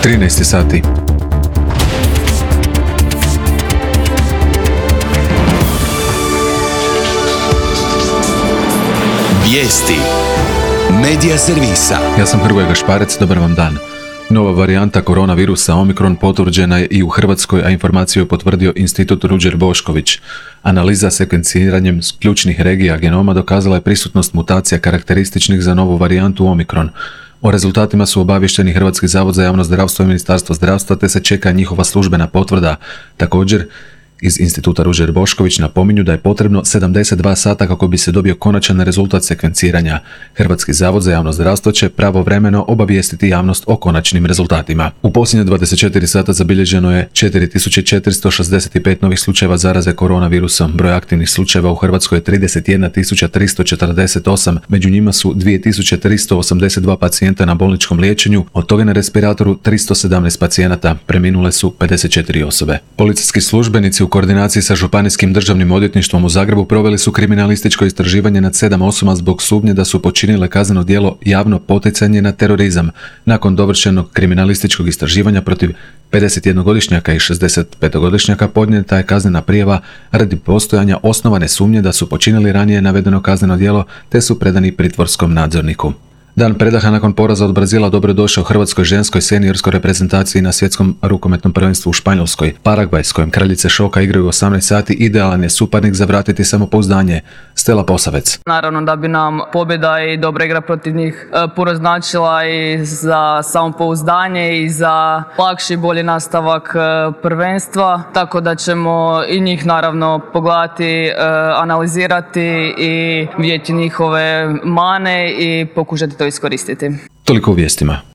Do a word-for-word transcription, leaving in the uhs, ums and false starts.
trinaest sati. Vijesti Medija servisa. Ja sam Hrvoje Gašparec, dobar vam dan. Nova varijanta koronavirusa Omikron potvrđena je i u Hrvatskoj, a informaciju je potvrdio Institut Ruđer Bošković. Analiza sekvenciranjem ključnih regija genoma dokazala je prisutnost mutacija karakterističnih za novu varijantu Omikron. O rezultatima su obavješteni Hrvatski zavod za javno zdravstvo i Ministarstvo zdravstva, te se čeka njihova službena potvrda. Također, iz Instituta Ruđer Bošković napominju da je potrebno sedamdeset dva sata kako bi se dobio konačan rezultat sekvenciranja. Hrvatski zavod za javno zdravstvo će pravovremeno obavijestiti javnost o konačnim rezultatima. U posljednje dvadeset četiri sata zabilježeno je četiri tisuće četiristo šezdeset pet novih slučajeva zaraze koronavirusom. Broj aktivnih slučajeva u Hrvatskoj je trideset jedna tisuća tristo četrdeset osam, među njima su dvije tisuće tristo osamdeset dva pacijenta na bolničkom liječenju, od toga na respiratoru tristo sedamnaest pacijenata, preminule su pedeset četiri osobe. Policijski službenici u U koordinaciji sa Županijskim državnim odvjetništvom u Zagrebu proveli su kriminalističko istraživanje nad sedam osoba zbog sumnje da su počinile kazneno djelo javno poticanje na terorizam. Nakon dovršenog kriminalističkog istraživanja protiv pedesetjednogodišnjaka i šezdesetpetogodišnjaka podnijeta je kaznena prijava radi postojanja osnovane sumnje da su počinili ranije navedeno kazneno djelo, te su predani pritvorskom nadzorniku. Dan predaha nakon poraza od Brazila dobrodošao hrvatskoj ženskoj seniorskoj reprezentaciji na svjetskom rukometnom prvenstvu u Španjolskoj. Paragvaj, s kojim kraljice šoka igraju osamnaest sati, idealan je suparnik za vratiti samopouzdanje. Stella Posavec. Naravno da bi nam pobjeda i dobra igra protiv njih puno značila i za samopouzdanje i za lakši i bolji nastavak prvenstva. Tako da ćemo i njih naravno pogledati, analizirati i vidjeti njihove mane i pokušati to iskoristiti. Toliko u vijestima.